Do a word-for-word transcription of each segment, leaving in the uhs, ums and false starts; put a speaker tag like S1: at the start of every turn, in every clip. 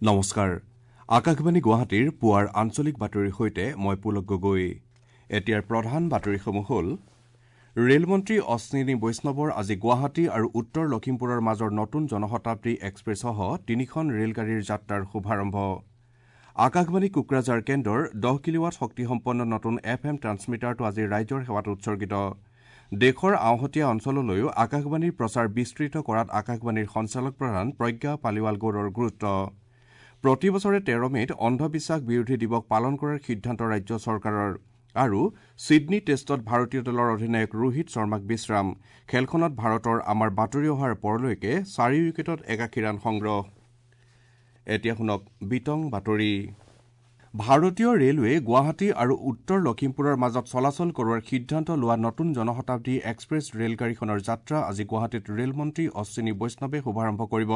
S1: নমস্কাৰ, আকাশবাণী গুৱাহাটীৰ পুৱাৰ আঞ্চলিক বাতৰিৰ সৈতে মই পুলক গগৈ। এতিয়াৰ প্ৰধান বাতৰিসমূহ হ'ল: ৰেলমন্ত্ৰী অশ্বিনী বৈষ্ণৱৰ আজি গুৱাহাটী আৰু উত্তৰ লখিমপুৰৰ মাজৰ নতুন জনশতাব্দী এক্সপ্ৰেছসহ তিনিখন ৰেলগাড়ীৰ যাত্ৰাৰ শুভাৰম্ভ। আকাশবাণী কোকৰাঝাৰ কেন্দ্ৰৰ দহ কিলোৱাট শক্তিসম্পন্ন নতুন এফ এম ট্ৰান্সমিটাৰটো আজি ৰাইজৰ সেৱাত উৎসৰ্গিত। দেশৰ আওহতীয়া অঞ্চললৈও আকাশবাণীৰ প্ৰচাৰ বিস্তৃত কৰাত আকাশবাণীৰ সঞ্চালক প্ৰধান প্ৰজ্ঞা পালিৱাল গৌড়ৰ গুৰুত্ব। প্ৰতি বছৰে তেৰ মে'ত অন্ধবিশ্বাস বিৰোধী দিৱস পালন কৰাৰ সিদ্ধান্ত ৰাজ্য চৰকাৰৰ। আৰু ছিডনী টেষ্টত ভাৰতীয় দলৰ অধিনায়ক ৰোহিত শৰ্মাক বিশ্ৰাম। খেলখনত ভাৰতৰ আমাৰ বাতৰি অহাৰ পৰলৈকে চাৰি উইকেটত একাশী ৰান সংগ্ৰহ। এতিয়া শুনক বিতং বাতৰি। ভাৰতীয় ৰেলৱে গুৱাহাটী আৰু উত্তৰ লখিমপুৰৰ মাজত চলাচল কৰোৱাৰ সিদ্ধান্ত লোৱা নতুন জনশতাব্দী এক্সপ্ৰেছ ৰেলগাড়ীখনৰ যাত্ৰা আজি গুৱাহাটীত ৰেলমন্ত্ৰী অশ্বিনী বৈষ্ণৱে শুভাৰম্ভ কৰিব।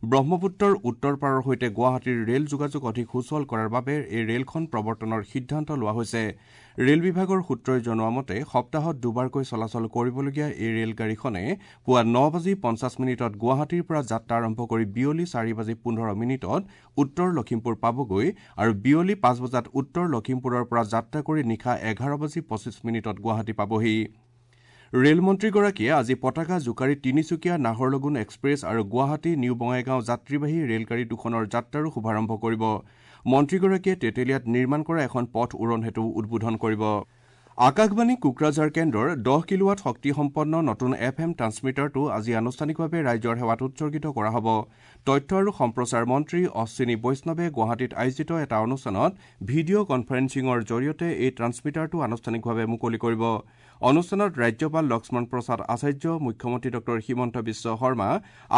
S1: ব্ৰহ্মপুত্ৰৰ উত্তৰ পাৰৰ সৈতে গুৱাহাটীৰ ৰেল যোগাযোগ অধিক সুচল কৰাৰ বাবে এই ৰেলখন প্ৰৱৰ্তনৰ সিদ্ধান্ত লোৱা হৈছে। ৰেল বিভাগৰ সূত্ৰই জনোৱা মতে সপ্তাহত দুবাৰকৈ চলাচল কৰিবলগীয়া এই ৰেলগাড়ীখনে পুৱা ন বাজি পঞ্চাছ মিনিটত গুৱাহাটীৰ পৰা যাত্ৰা আৰম্ভ কৰি বিয়লি চাৰি বাজি পোন্ধৰ মিনিটত উত্তৰ লখিমপুৰ পাবগৈ আৰু বিয়লি পাঁচ বজাত উত্তৰ লখিমপুৰৰ পৰা যাত্ৰা কৰি নিশা এঘাৰ বাজি পঁচিছ মিনিটত গুৱাহাটী পাবহি। ৰেলমন্ত্ৰীগৰাকীয়ে আজি পতাকা জোকাৰি তিনিচুকীয়া নাহৰলগুণ এক্সপ্ৰেছ আৰু গুৱাহাটী নিউ বঙাইগাঁও যাত্ৰীবাহী ৰেলগাড়ী দুখনৰ যাত্ৰাৰো শুভাৰম্ভ কৰিব। মন্ত্ৰীগৰাকীয়ে তেতেলীয়াত নিৰ্মাণ কৰা এখন পথ উৰণ সেতু উদ্বোধন কৰিব। আকাশবাণী কোকৰাঝাৰ কেন্দ্ৰৰ দহ কিলোৱাট শক্তিসম্পন্ন নতুন এফ এম ট্ৰান্সমিটাৰটো আজি আনুষ্ঠানিকভাৱে ৰাইজৰ সেৱাত উৎসৰ্গিত কৰা হ'ব। তথ্য আৰু সম্প্ৰচাৰ মন্ত্ৰী অশ্বিনী বৈষ্ণৱে গুৱাহাটীত আয়োজিত এটা অনুষ্ঠানত ভিডিঅ' কনফাৰেন্সিঙৰ জৰিয়তে এই ট্ৰান্সমিটাৰটো আনুষ্ঠানিকভাৱে মুকলি কৰিব। অনুষ্ঠানত ৰাজ্যপাল লক্ষ্মণ প্ৰসাদ আচাৰ্য, মুখ্যমন্ত্ৰী ডক্টৰ হিমন্ত বিশ্ব শৰ্মা,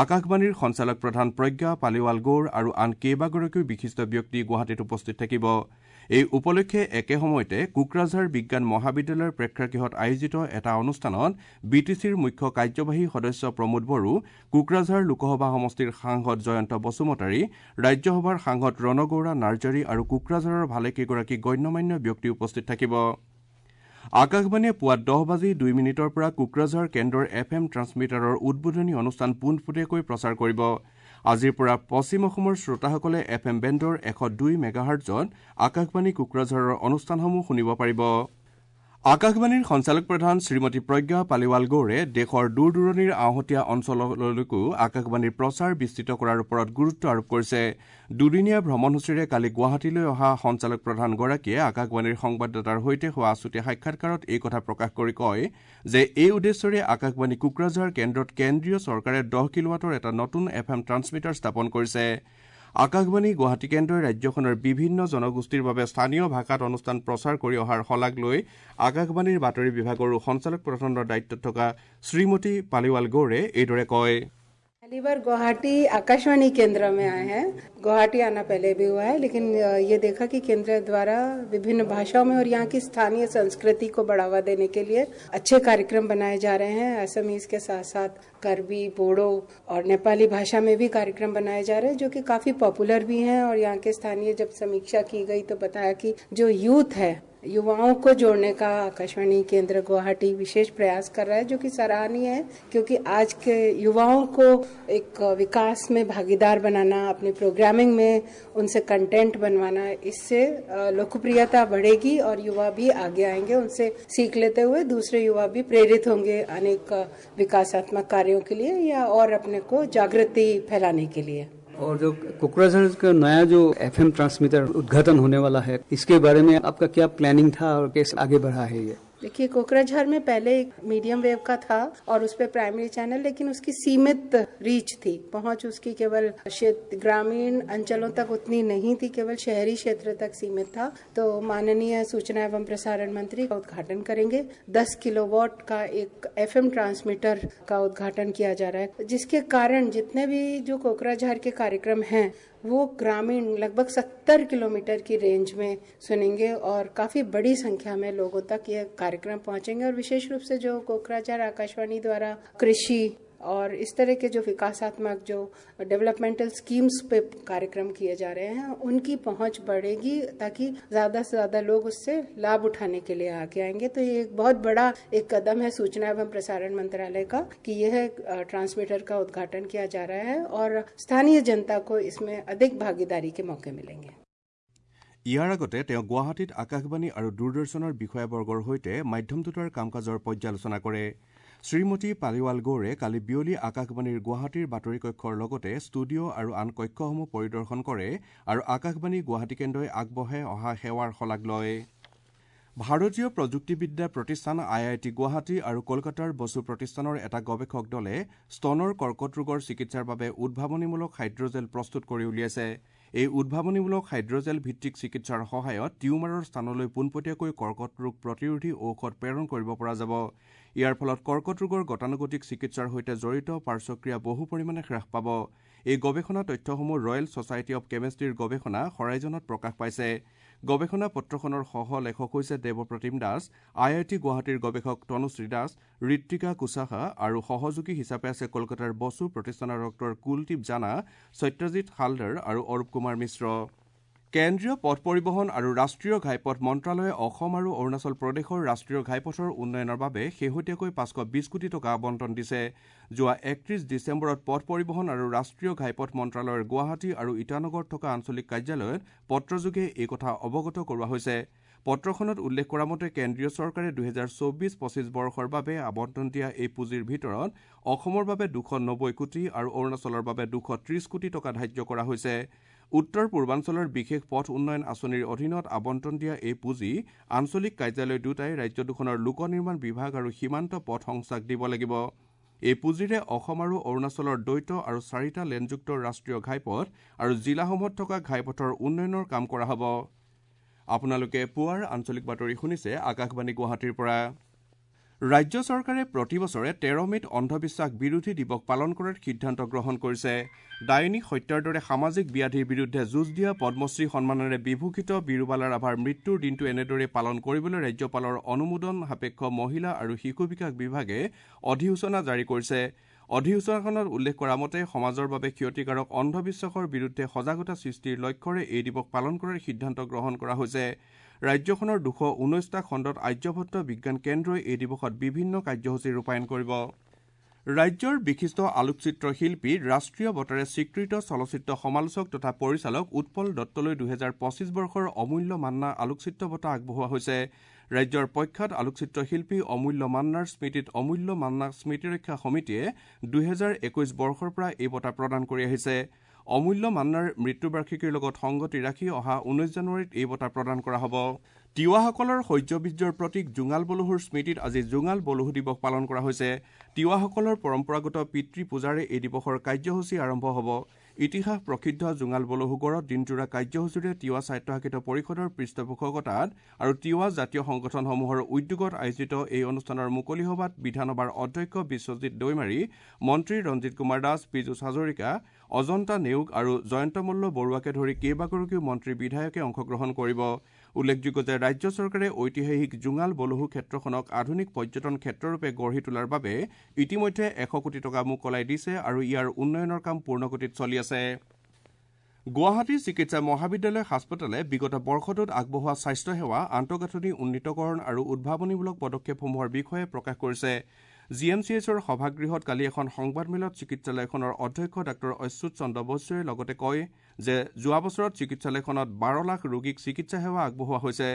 S1: আকাশবাণীৰ সঞ্চালক প্ৰধান প্ৰজ্ঞা পালিৱাল গৌড় আৰু আন কেইবাগৰাকীও বিশিষ্ট ব্যক্তি গুৱাহাটীত উপস্থিত থাকিব। এই উপলক্ষে একে সময়তে কোকৰাঝাৰ বিজ্ঞান মহাবিদ্যালয়ৰ প্ৰেক্ষাগৃহত আয়োজিত এটা অনুষ্ঠানত বি টি চিৰ মুখ্য কাৰ্যবাহী সদস্য প্ৰমোদ বড়ো, কোকৰাঝাৰ লোকসভা সমষ্টিৰ সাংসদ জয়ন্ত বসুমতাৰী, ৰাজ্যসভাৰ সাংসদ ৰণগৌৰা নাৰ্জাৰী আৰু কোকৰাঝাৰৰ ভালেকেইগৰাকী গণ্যমান্য ব্যক্তি উপস্থিত থাকিব। আকাশবাণীয়ে পুৱা দহ বাজি দুই মিনিটৰ পৰা কোকৰাঝাৰ কেন্দ্ৰৰ এফ এম ট্ৰান্সমিটাৰৰ উদ্বোধনী অনুষ্ঠান পোনপটীয়াকৈ প্ৰচাৰ কৰিব। আজিৰ পৰা পশ্চিম অসমৰ শ্ৰোতাসকলে এফ এম বেণ্ডৰ এশ দুই মেগাহাৰ্টজত আকাশবাণী কোকৰাঝাৰৰ অনুষ্ঠানসমূহ শুনিব পাৰিব। আকাশবাণীৰ সঞ্চালক প্ৰধান শ্ৰীমতী প্ৰজ্ঞা পালিৱাল গৌড়ে দেশৰ দূৰ দূৰণিৰ আওহতীয়া অঞ্চললৈকো আকাশবাণীৰ প্ৰচাৰ বিস্তৃত কৰাৰ ওপৰত গুৰুত্ব আৰোপ কৰিছে। দুদিনীয়া ভ্ৰমণসূচীৰে কালি গুৱাহাটীলৈ অহা সঞ্চালক প্ৰধানগৰাকীয়ে আকাশবাণীৰ সংবাদদাতাৰ সৈতে হোৱা আছুতীয়া সাক্ষাৎকাৰত এই কথা প্ৰকাশ কৰি কয় যে এই উদ্দেশ্যৰে আকাশবাণী কোকৰাঝাৰ কেন্দ্ৰত কেন্দ্ৰীয় চৰকাৰে দহ কিলোৱাটৰ এটা নতুন এফ এম ট্ৰান্সমিটাৰ স্থাপন কৰিছে। আকাশবাণী গুৱাহাটী কেন্দ্ৰই ৰাজ্যখনৰ বিভিন্ন জনগোষ্ঠীৰ বাবে স্থানীয় ভাষাত অনুষ্ঠান প্ৰচাৰ কৰি অহাৰ শলাগ লৈ আকাশবাণীৰ বাতৰি বিভাগৰো সঞ্চালক প্ৰধানৰ দায়িত্বত থকা শ্ৰীমতী পালিৱাল গৌড়ে এইদৰে কয়।
S2: पहली बार गुवाहाटी आकाशवाणी केंद्र में आए हैं। गुवाहाटी आना पहले भी हुआ है, लेकिन ये देखा कि केंद्र द्वारा विभिन्न भाषाओं में और यहाँ की स्थानीय संस्कृति को बढ़ावा देने के लिए अच्छे कार्यक्रम बनाए जा रहे हैं। असमीज के साथ साथ करबी, बोडो और नेपाली भाषा में भी कार्यक्रम बनाए जा रहे हैं, जो कि काफ़ी पॉपुलर भी हैं। और यहाँ के स्थानीय जब समीक्षा की गई तो बताया कि जो यूथ है, युवाओं को जोड़ने का आकाशवाणी केंद्र गुवाहाटी विशेष प्रयास कर रहा है, जो कि सराहनीय है, क्योंकि आज के युवाओं को एक विकास में भागीदार बनाना, अपने प्रोग्रामिंग में उनसे कंटेंट बनवाना, इससे लोकप्रियता बढ़ेगी और युवा भी आगे आएंगे। उनसे सीख लेते हुए दूसरे युवा भी प्रेरित होंगे अनेक विकासात्मक कार्यों के लिए या और अपने को जागृति फैलाने के लिए।
S3: और जो कोकराझार का नया जो एफएम ट्रांसमीटर उद्घाटन होने वाला है, इसके बारे में आपका क्या प्लानिंग था और कैसे आगे बढ़ा है ये?
S2: देखिए, कोकराझार में पहले एक मीडियम वेव का था और उस पर प्राइमरी चैनल, लेकिन उसकी सीमित रीच थी, पहुंच उसकी केवल क्षेत्र ग्रामीण अंचलों तक उतनी नहीं थी, केवल शहरी क्षेत्र तक सीमित था। तो माननीय सूचना एवं प्रसारण मंत्री का उद्घाटन करेंगे। दस किलोवाट का एक एफएम ट्रांसमीटर का उद्घाटन किया जा रहा है, जिसके कारण जितने भी जो कोकराझार के कार्यक्रम हैं वो ग्रामीण लगभग सत्तर किलोमीटर की रेंज में सुनेंगे और काफ़ी बड़ी संख्या में लोगों तक ये कार्यक्रम पहुंचेंगे। और विशेष रूप से जो कोकराझार आकाशवाणी द्वारा कृषि और इस तरह के जो विकासात्मक जो डेवलपमेंटल स्कीम्स पे कार्यक्रम किए जा रहे हैं उनकी पहुंच बढ़ेगी, ताकि ज़्यादा से ज़्यादा लोग उससे लाभ उठाने के लिए आगे आएंगे। तो ये एक बहुत बड़ा एक कदम है सूचना एवं प्रसारण मंत्रालय का कि यह ट्रांसमीटर का उद्घाटन किया जा रहा है और स्थानीय जनता को इसमें अधिक भागीदारी के मौके मिलेंगे।
S1: ইয়াৰ আগতে তেওঁ গুৱাহাটীত আকাশবাণী আৰু দূৰদৰ্শনৰ বিষয়াবৰ্গৰ সৈতে মাধ্যম দুটাৰ কাম কাজৰ পৰ্যালোচনা কৰে। শ্ৰীমতী পালিৱাল গৌৰে কালি বিয়লি আকাশবাণীৰ গুৱাহাটীৰ বাতৰি কক্ষৰ লগতে ষ্টুডিঅ' আৰু আন কক্ষসমূহ পৰিদৰ্শন কৰে আৰু আকাশবাণী গুৱাহাটী কেন্দ্ৰই আগবঢ়াই অহা সেৱাৰ শলাগ লয়। ভাৰতীয় প্ৰযুক্তিবিদ্যা প্ৰতিষ্ঠান আই I T Guwahati আৰু কলকাতাৰ বসু প্ৰতিষ্ঠানৰ এটা গৱেষক দলে স্তনৰ কৰ্কট ৰোগৰ চিকিৎসাৰ বাবে উদ্ভাৱনীমূলক হাইড্ৰজেল প্ৰস্তুত কৰি উলিয়াইছে। এই উদ্ভাৱনীমূলক হাইড্ৰজেল ভিত্তিক চিকিৎসাৰ সহায়ত টিউমাৰৰ স্থানলৈ পোনপটীয়াকৈ কৰ্কট ৰোগ প্ৰতিৰোধী ঔষধ প্ৰেৰণ কৰিব পৰা যাব। ইয়াৰ ফলত কৰ্কট ৰোগৰ গতানুগতিক চিকিৎসাৰ সৈতে জড়িত পাৰ্শ্বক্ৰিয়া বহু পৰিমাণে হ্ৰাস পাব। এই গৱেষণা তথ্যসমূহ ৰয়েল ছ'চাইটি অৱ কেমেষ্ট্ৰিৰ গৱেষণা হৰাইজনত প্ৰকাশ পাইছে। গৱেষণা পত্ৰখনৰ সহ লেখক হৈছে দেৱপ্ৰতিম দাস, আই I T গুৱাহাটীৰ গৱেষক তনুশ্ৰী দাস, ঋত্বিকা কুশাহা আৰু সহযোগী হিচাপে আছে কলকাতাৰ বসু প্ৰতিষ্ঠানৰ ডক্টৰ কুলদীপ জানা, সত্যজিৎ হালদাৰ আৰু অৰূপ কুমাৰ মিশ্ৰ। কেন্দ্ৰীয় পথ পৰিবহণ আৰু ৰাষ্ট্ৰীয় ঘাইপথ মন্ত্ৰালয়ে অসম আৰু অৰুণাচল প্ৰদেশৰ ৰাষ্ট্ৰীয় ঘাইপথৰ উন্নয়নৰ বাবে শেহতীয়াকৈ পাঁচশ বিশ কোটি টকা আবণ্টন দিছে। যোৱা একত্ৰিশ ডিচেম্বৰত পথ পৰিবহণ আৰু ৰাষ্ট্ৰীয় ঘাইপথ মন্ত্ৰালয়ৰ গুৱাহাটী আৰু ইটানগৰত থকা আঞ্চলিক কাৰ্যালয়ত পত্ৰযোগে এই কথা অৱগত কৰোৱা হৈছে। পত্ৰখনত উল্লেখ কৰা মতে কেন্দ্ৰীয় চৰকাৰে দুহেজাৰ চৌবিশ পঁচিছ বৰ্ষৰ বাবে আবণ্টন দিয়া এই পুঁজিৰ ভিতৰত অসমৰ বাবে দুশ নব্বৈ কোটি আৰু অৰুণাচলৰ বাবে দুশ ত্ৰিশ কোটি টকা ধাৰ্য কৰা হৈছে। উত্তৰ পূৰ্বাঞ্চলৰ বিশেষ পথ উন্নয়ন আঁচনিৰ অধীনত আবণ্টন দিয়া এই পুঁজি আঞ্চলিক কাৰ্যালয় দুটাই ৰাজ্য দুখনৰ লোক নিৰ্মাণ বিভাগ আৰু সীমান্ত পথ সংস্থাক দিব লাগিব। এই পুঁজিৰে অসম আৰু অৰুণাচলৰ দ্বৈত আৰু চাৰিটা লেনযুক্ত ৰাষ্ট্ৰীয় ঘাইপথ আৰু জিলাসমূহত থকা ঘাইপথৰ উন্নয়নৰ কাম কৰা হ'ব। আপোনালোকে পুৱাৰ আঞ্চলিক বাতৰি শুনিছে আকাশবাণী গুৱাহাটীৰ পৰা। ৰাজ্য চৰকাৰে প্ৰতি বছৰে তেৰ মে'ত অন্ধবিশ্বাস বিৰোধী দিৱস পালন কৰাৰ সিদ্ধান্ত গ্ৰহণ কৰিছে। ডাইনী হত্যাৰ দৰে সামাজিক ব্যাধিৰ বিৰুদ্ধে যুঁজ দিয়া পদ্মশ্ৰী সন্মানেৰে বিভূষিত বীৰুবালা ৰাভাৰ মৃত্যুৰ দিনটো এনেদৰে পালন কৰিবলৈ ৰাজ্যপালৰ অনুমোদন সাপেক্ষ মহিলা আৰু শিশু বিকাশ বিভাগে অধিসূচনা জাৰি কৰিছে। অধিসূচনাখনত উল্লেখ কৰা মতে সমাজৰ বাবে ক্ষতিকাৰক অন্ধবিশ্বাসৰ বিৰুদ্ধে সজাগতা সৃষ্টিৰ লক্ষ্যৰে এই দিৱস পালন কৰাৰ সিদ্ধান্ত গ্ৰহণ কৰা হৈছে। ৰাজ্যখনৰ দুশ ঊনৈছটা খণ্ডত আৰ্যভট্ট বিজ্ঞান কেন্দ্ৰই এই দিৱসত বিভিন্ন কাৰ্যসূচী ৰূপায়ণ কৰিব। ৰাজ্যৰ বিশিষ্ট আলোকচিত্ৰ শিল্পী, ৰাষ্ট্ৰীয় বঁটাৰে স্বীকৃত চলচ্চিত্ৰ সমালোচক তথা পৰিচালক উৎপল দত্তলৈ দুহেজাৰ পঁচিছ বৰ্ষৰ অমূল্য মান্না আলোকচিত্ৰ বঁটা আগবঢ়োৱা হৈছে। ৰাজ্যৰ প্ৰখ্যাত আলোকচিত্ৰ শিল্পী অমূল্য মান্নাৰ স্মৃতিত অমূল্য মান্না স্মৃতিৰক্ষা সমিতিয়ে দুহেজাৰ একৈছ বৰ্ষৰ পৰা এই বঁটা প্ৰদান কৰি আহিছে। অমূল্য মান্নাৰ মৃত্যুবাৰ্ষিকীৰ লগত সংগতি ৰাখি অহা ঊনৈছ জানুৱাৰীত এই বঁটা প্ৰদান কৰা হ'ব। তিৱাসকলৰ শৌৰ্যবীৰ্যৰ প্ৰতীক জোঙাল বলহুৰ স্মৃতিত আজি জোঙাল বলহু দিৱস পালন কৰা হৈছে। তিৱাসকলৰ পৰম্পৰাগত পিতৃ পূজাৰে এই দিৱসৰ কাৰ্যসূচী আৰম্ভ হ'ব। ইতিহাস প্ৰসিদ্ধ জোঙাল বলহুগড়ত দিনজোৰা কাৰ্যসূচীৰে তিৱা স্বায়ত্তশাসিত পৰিষদৰ পৃষ্ঠপোষকতাত আৰু তিৱা জাতীয় সংগঠনসমূহৰ উদ্যোগত আয়োজিত এই অনুষ্ঠানৰ মুকলি সভাত বিধানসভাৰ অধ্যক্ষ বিশ্বজিৎ দৈমাৰী, মন্ত্ৰী ৰঞ্জিত কুমাৰ দাস, পীযুষ হাজৰিকা, অজন্তা নেওগ আৰু জয়ন্ত মল্ল বৰুৱাকে ধৰি কেইবাগৰাকীও মন্ত্ৰী বিধায়কে অংশগ্ৰহণ কৰিব। উল্লেখযোগ্য যে ৰাজ্য চৰকাৰে ঐতিহাসিক জোঙাল বলহু ক্ষেত্ৰখনক আধুনিক পৰ্যটন ক্ষেত্ৰৰূপে গঢ়ি তোলাৰ বাবে ইতিমধ্যে এশ কোটি টকা মোকলাই দিছে আৰু ইয়াৰ উন্নয়নৰ কাম পূৰ্ণগতিত চলি আছে। গুৱাহাটী চিকিৎসা মহাবিদ্যালয় হাস্পতালে বিগত বৰ্ষটোত আগবঢ়োৱা স্বাস্থ্যসেৱা, আন্তঃগাঁথনি উন্নীতকৰণ আৰু উদ্ভাৱনীমূলক পদক্ষেপসমূহৰ বিষয়ে প্ৰকাশ কৰিছে। জি এম চি এইচৰ সভাগৃহত কালি এখন সংবাদমেলত চিকিৎসালয়খনৰ অধ্যক্ষ ডাঃ অচ্যুত চন্দ্ৰ বসুৱে লগতে কয় যে যোৱা বছৰত চিকিৎসালয়খনত বাৰ লাখ ৰোগীক চিকিৎসা সেৱা আগবঢ়োৱা হৈছে।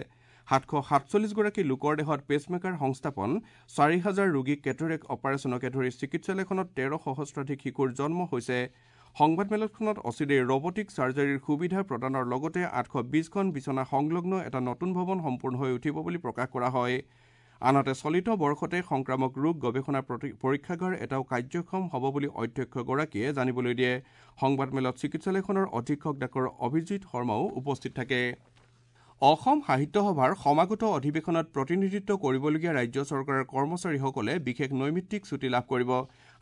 S1: সাতশ সাতচল্লিছগৰাকী লোকৰ দেহত পেচমেকাৰ সংস্থাপন, চাৰি হাজাৰ ৰোগীক কেটৰেক্ট অপাৰেশ্যনকে ধৰি চিকিৎসালয়খনত তেৰ সহস্ৰাধিক শিশুৰ জন্ম হৈছে। সংবাদমেলখনত অচিৰেই ৰবটিক চাৰ্জাৰীৰ সুবিধা প্ৰদানৰ লগতে আঠশ বিছখন বিচনা সংলগ্ন এটা নতুন ভৱন সম্পূৰ্ণ হৈ উঠিব বুলি প্ৰকাশ কৰা হয়। আনহাতে চলিত বৰ্ষতে সংক্ৰামক ৰোগ গৱেষণা পৰীক্ষাগাৰ এটাও কাৰ্যক্ষম হ'ব বুলি অধ্যক্ষগৰাকীয়ে জানিবলৈ দিয়ে। সংবাদমেলত চিকিৎসালয়খনৰ অধীক্ষক ডাঃ অভিজিৎ শৰ্মাও উপস্থিত থাকে। অসম সাহিত্য সভাৰ সমাগত অধিৱেশনত প্ৰতিনিধিত্ব কৰিবলগীয়া ৰাজ্য চৰকাৰৰ কৰ্মচাৰীসকলে বিশেষ নৈমিত্তিক ছুটী লাভ কৰিব।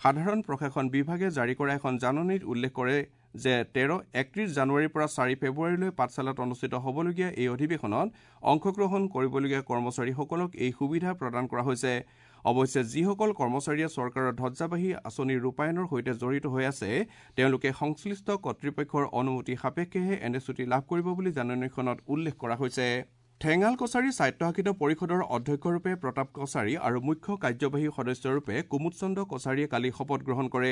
S1: সাধাৰণ প্ৰশাসন বিভাগে জাৰি কৰা এখন জাননীত উল্লেখ কৰে যে তেৰ একত্ৰিশ জানুৱাৰীৰ পৰা চাৰি ফেব্ৰুৱাৰীলৈ পাঠশালাত অনুষ্ঠিত হ'বলগীয়া এই অধিৱেশনত অংশগ্ৰহণ কৰিবলগীয়া কৰ্মচাৰীসকলক এই সুবিধা প্ৰদান কৰা হৈছে। অৱশ্যে যিসকল কৰ্মচাৰীয়ে চৰকাৰৰ ধ্বজাবাহী আঁচনিৰ ৰূপায়ণৰ সৈতে জড়িত হৈ আছে তেওঁলোকে সংশ্লিষ্ট কৰ্তৃপক্ষৰ অনুমতি সাপেক্ষেহে এনে ছুটী লাভ কৰিব বুলি জাননীখনত উল্লেখ কৰা হৈছে। ঠেঙাল কছাৰী স্বায়ত্তশাসিত পৰিষদৰ অধ্যক্ষৰূপে প্ৰতাপ কছাৰী আৰু মুখ্য কাৰ্যবাহী সদস্যৰূপে কুমুদ চন্দ্ৰ কছাৰীয়ে কালি শপত গ্ৰহণ কৰে।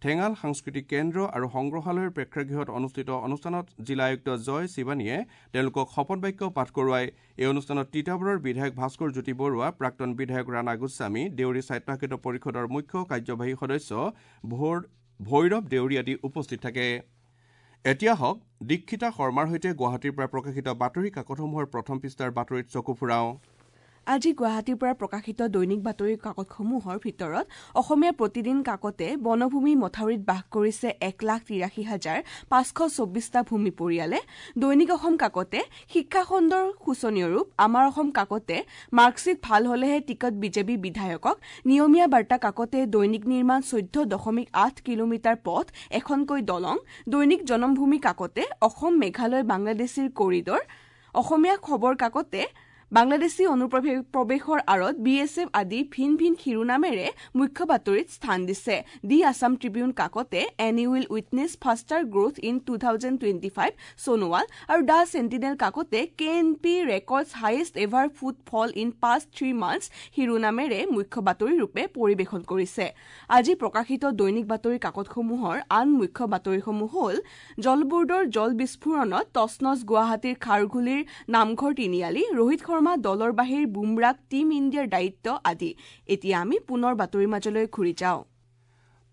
S1: ঠেঙাল সাংস্কৃতিক কেন্দ্ৰ আৰু সংগ্ৰহালয়ৰ প্ৰেক্ষাগৃহত অনুষ্ঠিত অনুষ্ঠানত জিলা আয়ুক্ত জয় শিৱানীয়ে তেওঁলোকক শপত বাক্য পাঠ কৰোৱায়। এই অনুষ্ঠানত তিতাবৰৰ বিধায়ক ভাস্কৰ জ্যোতি বৰুৱা, প্ৰাক্তন বিধায়ক ৰাণা গোস্বামী, দেউৰী স্বায়ত্তশাসিত পৰিষদৰ মুখ্য কাৰ্যবাহী সদস্য ভৈৰৱ দেউৰী আদি উপস্থিত থাকে। এতিয়া হওক দীক্ষিতা শৰ্মাৰ সৈতে গুৱাহাটীৰ পৰা প্ৰকাশিত বাতৰি কাকতসমূহৰ প্ৰথম পৃষ্ঠাৰ বাতৰিত চকু ফুৰাওঁ।
S4: আজি গুৱাহাটীৰ পৰা প্ৰকাশিত দৈনিক বাতৰি কাকতসমূহৰ ভিতৰত অসমীয়া প্ৰতিদিন কাকতে বনভূমি মথাউৰিত বাস কৰিছে এক লাখ তিৰাশী হাজাৰ পাঁচশ চৌব্বিছটা ভূমি পৰিয়ালে, দৈনিক অসম কাকতে শিক্ষাখণ্ডৰ শোচনীয় ৰূপ, আমাৰ অসম কাকতে মাৰ্কশ্বিট ভাল হলেহে টিকট বিজেপি বিধায়কক, নিয়মীয়া বাৰ্তা কাকতে দৈনিক নিৰ্মাণ চৈধ্য দশমিক আঠ কিলোমিটাৰ পথ এখনকৈ দলং, দৈনিক জনমভূমি কাকতে অসম মেঘালয় বাংলাদেশীৰ কৰিডৰ, অসমীয়া খবৰ কাকতে বাংলাদেশী অনুপ্ৰৱেশৰ আঁৰত বি এছ এফ আদি ভিন ভিন শিৰোনামেৰে মুখ্য বাতৰিত স্থান দিছে। দি আছাম ট্ৰিবিউন কাকতে N U will witness faster growth in two thousand twenty five Sonowal আৰু the sentinel কাকতে K N P records highest ever footfall in past three months শিৰোনামেৰে মুখ্য বাতৰিৰূপে পৰিৱেশন কৰিছে। আজি প্ৰকাশিত দৈনিক বাতৰি কাকতসমূহৰ আন মুখ্য বাতৰিসমূহ হ'ল জল বোৰ্ডৰ জল বিস্ফোৰণত তছনছ গুৱাহাটীৰ খাৰঘুলিৰ নামঘৰ তিনিআলি, ৰোহিত শৰ্মা দলৰ বাহিৰ বুমৰাক টীম ইণ্ডিয়াৰ দায়িত্ব আদি। এতিয়া আমি পুনৰ বাতৰিৰ মাজলৈ ঘূৰি যাওঁ।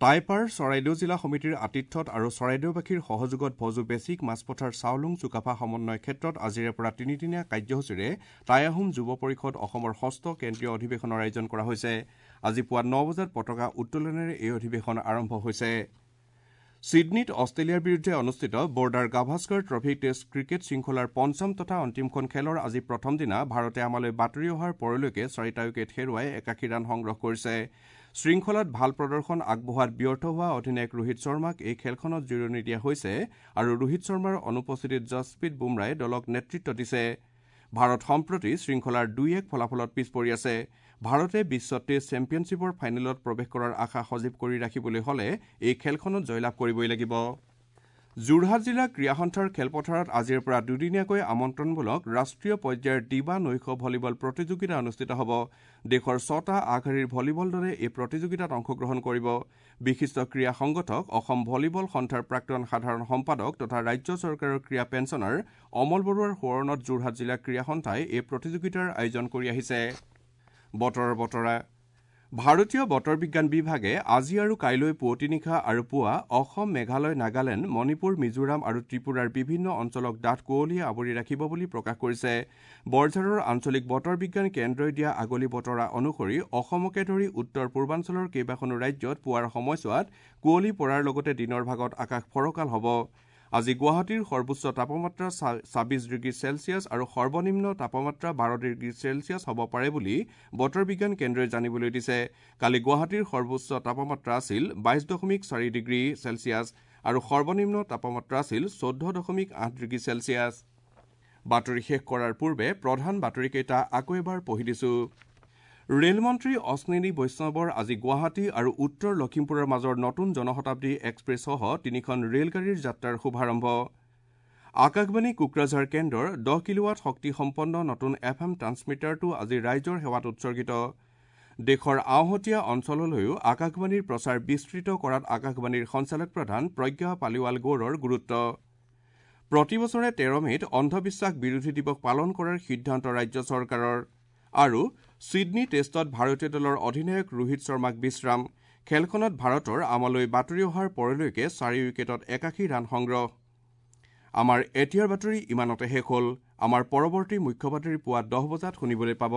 S1: টাইপাৰ চৰাইদেউ জিলা সমিতিৰ আতিথ্যত আৰু চৰাইদেউবাসীৰ সহযোগত ভজু বেচিক মাছপথাৰ চাওলুং চুকাফা সমন্বয় ক্ষেত্ৰত আজিৰে পৰা তিনিদিনীয়া কাৰ্যসূচীৰে টাই আহোম যুৱ পৰিষদ অসমৰ ষষ্ঠ কেন্দ্ৰীয় অধিৱেশনৰ আয়োজন কৰা হৈছে। আজি পুৱা ন বজাত পতাকা উত্তোলনেৰে এই অধিৱেশন আৰম্ভ হৈছে। ছিডনীত অষ্ট্ৰেলিয়াৰ বিৰুদ্ধে অনুষ্ঠিত Border Gavaskar trophy test cricket শৃংখলাৰ পঞ্চম তথা অন্তিমখন খেলৰ আজি প্ৰথম দিনা ভাৰতে আমালৈ বাতৰি অহাৰ পৰলৈকে চাৰিটা উইকেট হেৰুৱাই একাশী ৰান সংগ্ৰহ কৰিছে। শৃংখলাত ভাল প্ৰদৰ্শন আগবঢ়োৱাত ব্যৰ্থ হোৱা অধিনায়ক ৰোহিত শৰ্মাক এই খেলখনত জিৰণি দিয়া হৈছে আৰু ৰোহিত শৰ্মাৰ অনুপস্থিতিত জছপ্ৰীত বুমৰাই দলক নেতৃত্ব দিছে। ভাৰত সম্প্ৰতি শৃংখলাৰ দুই এক ফলাফলত পিছ পৰি আছে। ভাৰতে বিশ্ব টেষ্ট চেম্পিয়নশ্বিপৰ ফাইনেলত প্ৰৱেশ কৰাৰ আশা সজীৱ কৰি ৰাখিবলৈ হ'লে এই খেলখনত জয়লাভ কৰিবই লাগিব। যোৰহাট জিলা ক্ৰীড়া সন্থাৰ খেলপথাৰত আজিৰ পৰা দুদিনীয়াকৈ আমন্ত্ৰণমূলক ৰাষ্ট্ৰীয় পৰ্যায়ৰ দিবা নৈশ ভলীবল প্ৰতিযোগিতা অনুষ্ঠিত হ'ব। দেশৰ ছটা আগশাৰীৰ ভলীবল দলে এই প্ৰতিযোগিতাত অংশগ্ৰহণ কৰিব। বিশিষ্ট ক্ৰীড়া সংগঠক অসম ভলীবল সন্থাৰ প্ৰাক্তন সাধাৰণ সম্পাদক তথা ৰাজ্য চৰকাৰৰ ক্ৰীড়া পেঞ্চনাৰ অমল বৰুৱাৰ সোঁৱৰণত যোৰহাট জিলা ক্ৰীড়া সন্থাই এই প্ৰতিযোগিতাৰ আয়োজন কৰি আহিছে। বতৰৰ বতৰা ভাৰতীয় বতৰ বিজ্ঞান বিভাগে আজি আৰু কাইলৈ পুৱতি নিশা আৰু পুৱা অসম, মেঘালয়, নাগালেণ্ড, মণিপুৰ, মিজোৰাম আৰু ত্ৰিপুৰাৰ বিভিন্ন অঞ্চলক ডাঠ কুঁৱলীয়ে আৱৰি ৰাখিব বুলি প্ৰকাশ কৰিছে। বৰঝাৰৰ আঞ্চলিক বতৰ বিজ্ঞান কেন্দ্ৰই দিয়া আগলি বতৰা অনুসৰি অসমকে ধৰি উত্তৰ পূৰ্বাঞ্চলৰ কেইবাখনো ৰাজ্যত পুৱাৰ সময়ছোৱাত কুঁৱলী পৰাৰ লগতে দিনৰ ভাগত আকাশ ফৰকাল হ'ব। আজি গুৱাহাটীৰ সৰ্বোচ্চ তাপমাত্ৰা ছাব্বিছ ডিগ্ৰী চেলছিয়াছ আৰু সৰ্বনিম্ন তাপমাত্ৰা বাৰ ডিগ্ৰী চেলছিয়াছ হ'ব পাৰে বুলি বতৰ বিজ্ঞান কেন্দ্ৰই জানিবলৈ দিছে। কালি গুৱাহাটীৰ সৰ্বোচ্চ তাপমাত্ৰা আছিল বাইছ দশমিক চাৰি ডিগ্ৰী চেলছিয়াছ আৰু সৰ্বনিম্ন তাপমাত্ৰা আছিল চৈধ্য দশমিক আঠ ডিগ্ৰী চেলছিয়াছ। বাতৰি শেষ কৰাৰ পূৰ্বে প্ৰধান বাতৰিকেইটা আকৌ এবাৰ পঢ়ি দিছো। ৰেলমন্ত্ৰী অশ্বিনী বৈষ্ণৱৰ আজি গুৱাহাটী আৰু উত্তৰ লখিমপুৰৰ মাজৰ নতুন জনশতাব্দী এক্সপ্ৰেছসহ তিনিখন ৰেলগাড়ীৰ যাত্ৰাৰ শুভাৰম্ভ। আকাশবাণী কোকৰাঝাৰ কেন্দ্ৰৰ দহ কিলোৱাট শক্তিসম্পন্ন নতুন এফ এম ট্ৰান্সমিটাৰটো আজি ৰাইজৰ সেৱাত উৎসৰ্গিত। দেশৰ আওহতীয়া অঞ্চললৈও আকাশবাণীৰ প্ৰচাৰ বিস্তৃত কৰাত আকাশবাণীৰ সঞ্চালক প্ৰধান প্ৰজ্ঞা পালিৱাল গৌৰৰ গুৰুত্ব। প্ৰতি বছৰে তেৰ মে'ত অন্ধবিশ্বাস বিৰোধী দিৱস পালন কৰাৰ সিদ্ধান্ত ৰাজ্য চৰকাৰৰ। আৰু ছিডনী টেষ্টত ভাৰতীয় দলৰ অধিনায়ক ৰোহিত শৰ্মাক বিশ্ৰাম। খেলখনত ভাৰতৰ আমালৈ বাতৰি অহাৰ পৰলৈকে চাৰি উইকেটত একাশী ৰান সংগ্ৰহ। আমাৰ এতিয়াৰ বাতৰি ইমানতে শেষ হ'ল। আমাৰ পৰৱৰ্তী মুখ্য বাতৰি পুৱা দহ বজাত শুনিবলৈ পাব।